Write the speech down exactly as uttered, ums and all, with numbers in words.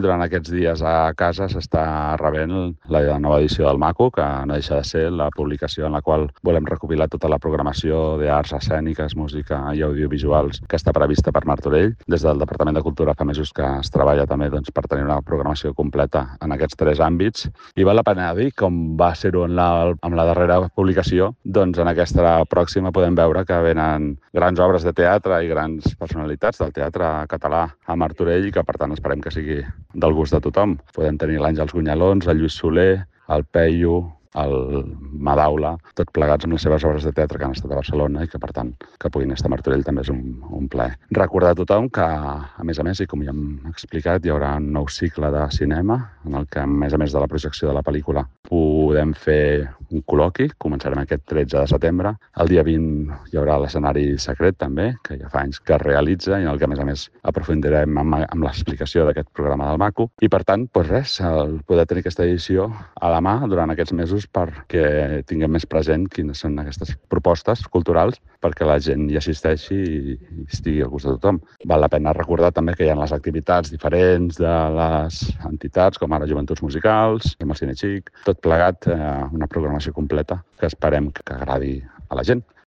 durant aquests dies a casa s'està rebent la nova edició del Maco, que no deixa de ser la publicació en la qual volem recopilar tota la programació d'arts escèniques, música i audiovisuals que està prevista per Martorell. Des del Departament de Cultura fa mesos que es treballa també doncs, per tenir una programació completa en aquests tres àmbits. I val la pena dir, com va ser-ho en la, amb la darrera publicació, doncs en aquesta pròxima podem veure que venen grans obres de teatre i grans personalitats del teatre català a Martorell i que, per tant, esperem que sigui del gust de tothom. Podem tenir l'Àngels Gunyalons, el Lluís Soler, el Peyu, el Madaula, tot plegats amb les seves obres de teatre que han estat a Barcelona i que, per tant, que puguin estar a Martorell també és un, un plaer. Recordar a tothom que, a més a més, i com ja hem explicat, hi haurà un nou cicle de cinema en el que, a més a més de la projecció de la pel·lícula, podem fer un col·loqui. Començarem aquest tretze de setembre. El dia vint hi haurà l'escenari secret, també, que ja fa anys que es realitza i en el que, a més a més, aprofundirem amb, amb l'explicació d'aquest programa del Maco. I, per tant, doncs res, el poder tenir aquesta edició a la mà durant aquests mesos perquè tinguem més present quines són aquestes propostes culturals perquè la gent hi assisteixi i estigui al gust de tothom. Val la pena recordar també que hi ha les activitats diferents de les entitats, com ara Joventuts Musicals, amb el Cine Xic, tot plegat, eh, una programació completa que esperem que agradi a la gent.